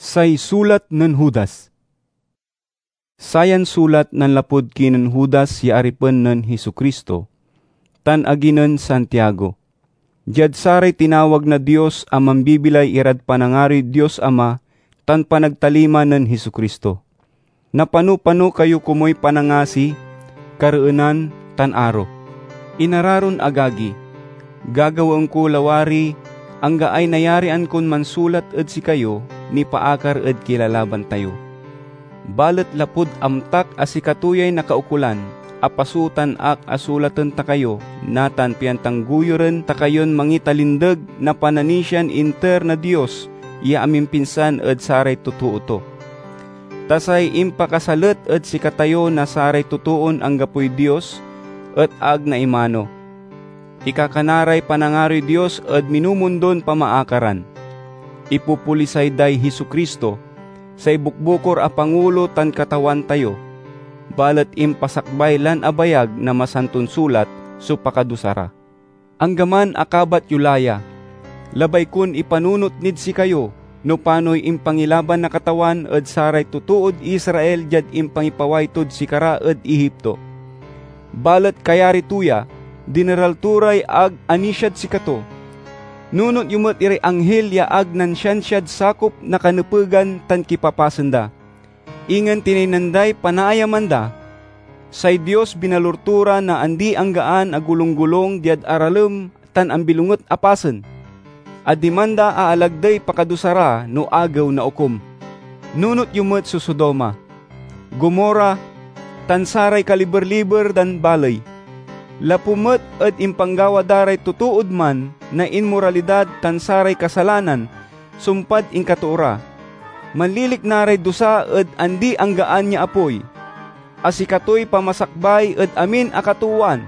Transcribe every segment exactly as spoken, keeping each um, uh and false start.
Say sulat nen Judas. Sayan sulat nanlapud kinen Judas ya aripen nen Jesu-Cristo, tan agi nen Santiago, diad saray tinawag na Dios a mambibilay irad panangaroy Dios Ama tan panagtalima nen Jesu-Cristo. Napano-pano kayo komuy panangasi, kareenan, tan aro. Inararon agagi, gagawaen ko lawari anggaay nayarian kon mansulat ed sikayo nipaakar ed kilalaban tayo. Balet lapud amtak a sikato yay nakaukolan, apasutan ak a sulaten ta kayo natan pian tangguyoren ta kayon mangitalindeg na pananisian inter na Dios ya amimpinsan ed saray totoo to. Ta say impakasalet ed sikatayo na saray totoon anggapoy Dios et ag naimano. Ikakana ray panangaroy Dios ed minumundon pamaakaran. Ipopolisay day Jesu-Cristo, say bukbukor a Pangulo tan Katawan tayo, balet impasakbay lan abayag na Masanton Sulat so pakadusa ra. Anggaman a kabat yo la ya, labay kon ipanunot nid sikayo no panoy impangilaban na Katawan ed saray totood Israel diad impangipaway tod sikara ed Egipto. Balet kayari to ya, dineral to ray ag anisiad sikato. Nunot yo met iray anghil ya ag nansiansiad sakop na kanepegan tan kipapasen da. Ingen tinaynan day panaayaman da. Say Dios binalur to ra na andi-anggaan a golunggolung diad aralem tan ambilonget a pasen, a diman da aalagdey pakadusa ra no Agew na Okum. Nunot yo met so Sodoma, Gomorra, tan saray kaliber-liber dan baley. Lapu met ed impanggawa da ray totood man na inmoralidad tan saray kasalanan sumpad inkatoo ra. Manlilikna ray dusa ed andi-anggaan ya apoy, a sikatoy pamasakbay ed amin a katoowan.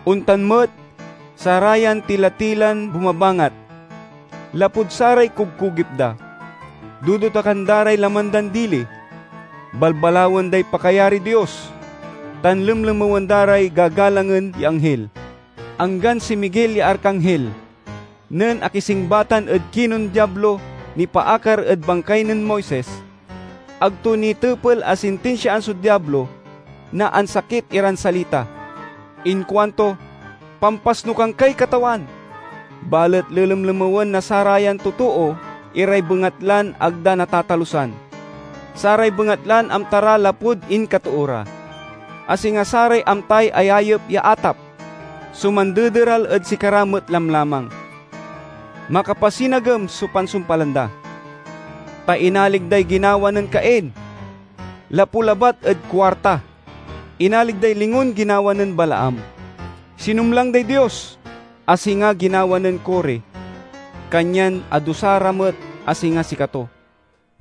Ontan met, sarayan tila-tilan bumabangat, lapud saray kugkugip da. Dudotakan da ray laman dan dili. Balbalawen day pakayariy Dios, tan lemlemewen da ray gagalangen ya anghil, anggan si Miguel ya arkanghel. Nen akisingbatan ed kinen Diablo nipaakar ed bangkay nen Moises, ag to nitepel a sintinsiaan so Diablo na ansakit iran salita. Inkuanto, "Pampasnokan kay Katawan!" Balet lelemlemewen na sarayan totoo iray bengatlan ag da natatalusan, saray bengatlan amta ra lapud inkatoo ra, a singa saray amtay ayayep ya atap. So mandederal ed sikara met lamlamang. Makapasinagem so pansumpalan da, ta inalig day ginawa nen Cain. Lapu labat ed kuarta, inalig day lingon ginawa nen Balaam. Sinumlang day Dios, a singa ginawa nen Core, kanyan adusa ra met a singa sikato.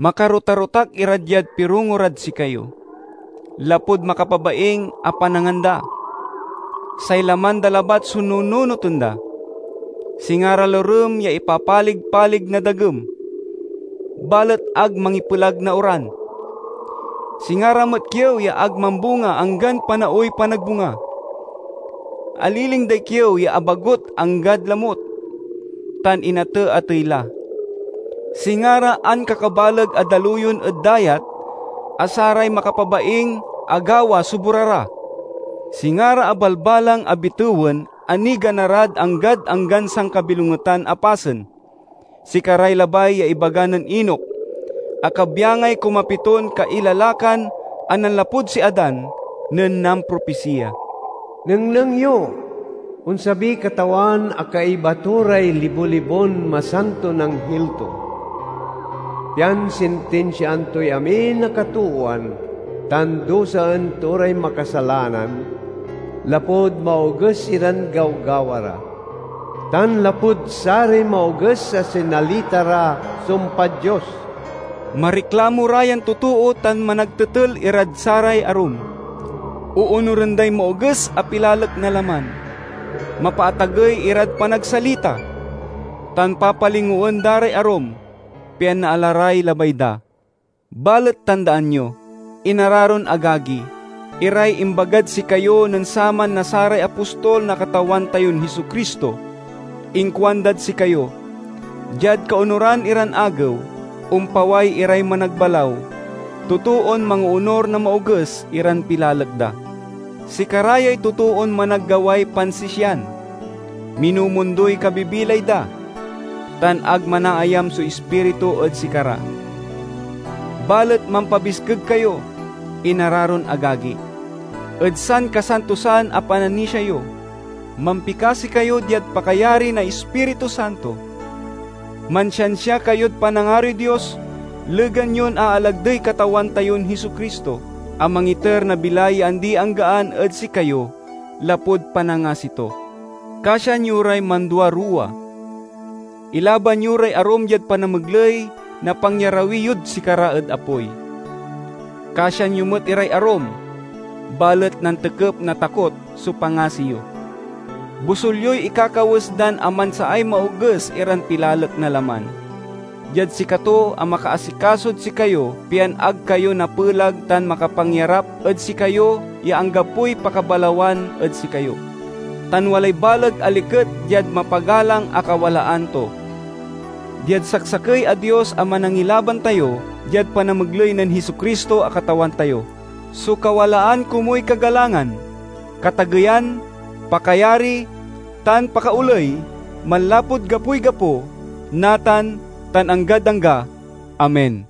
Makarotarotak ira diad pirongo rad sikayo, lapud makapabaing a panangan da. Say laman da labat so nununoten da. Singa ra lorem ya ipapalig-palig na dagem, balet ag mangipelag na oran. Singa ra met kiew ya ag mambunga anggan panaoy panagbunga. Aliling day kiew ya abagot anggad lamut, tan inateatey la. Singa ra ankakabaleg a daluyon ed dayat a saray makapabaing agawa so bora ra. Singa ra abalbalang a bitewen a nigana rad anggad anggan sankabilongetan a pasen. Sikaray labay ya ibaga nen Enoc, a kabyangay kumapiton kailalakan a nanlapud si Adan nen nampropisiya. Nengneng yo! Onsabiy Katawan a kaiba to ray libo-libon masanton anghil to, pian sintinsiaan toy amin a katoowan tan dusaen to ray makasalanan, lapud maoges iran gawgawa ra, tan lapud saray maoges a sinalita ra sumpad Dios. Mariklamo ra yan totoo tan managtetel irad saray arum. Oonuren day maoges a pilalek na laman. Mapaatagey irad panagsalita, tan papalingoen da ray arum, pian naala ray labay da. Balet tandaan yo, inararon agagi, iray imbagad sikayo nen saman na saray apostol na Katawan tayon Jesu-Cristo. Inkuandad sikayo, diad kaonuran iran agew, ompaway iray managbalaw, totoon mangoonor na maoges iran pilalek da. Sikara yay totoon managgaway pansisian, minumundoy kabibilay da, tan ag manaayam so Ispiritu ed sikara. Balet mampabiskeg kayo, inararon agagi, ed sankasantosan a pananisia yo. Mampikasi kayo diad pakayari na Ispiritu Santo. Mansiansia kayod panangaroy Dios, legan yon aalagdey Katawan tayon Jesu-Cristo, a mangiter na bilay ya andi-anggaan ed sikayo lapud panangasi to. Kasian yo ray manduaruwa. Ilaban yo ray arum diad panamegley na pangyarawi yod sikara ed apoy. Kasian yo met iray arum, balet nantekep na takot so pangasi yo. Bosol yoy ikakawes dan amansaay maoges iran pilalek na laman. Diad sikato a makaasikasod sikayo, pian ag kayo napelag tan makapangyarap ed sikayo ya anggapoy pakabalawan ed sikayo, tan walay baleg a liket diad mapagalang a kawalaan to. Diad saksakey a Dios a Manangilaban tayo, diad panamegley nen Jesu-Cristo a Katawan tayo, so kawalaan komuy kagalangan, katageyan, pakayari, tan pakaoley, manlapud gapoy gapo, natan, tan anggad angga. Amen.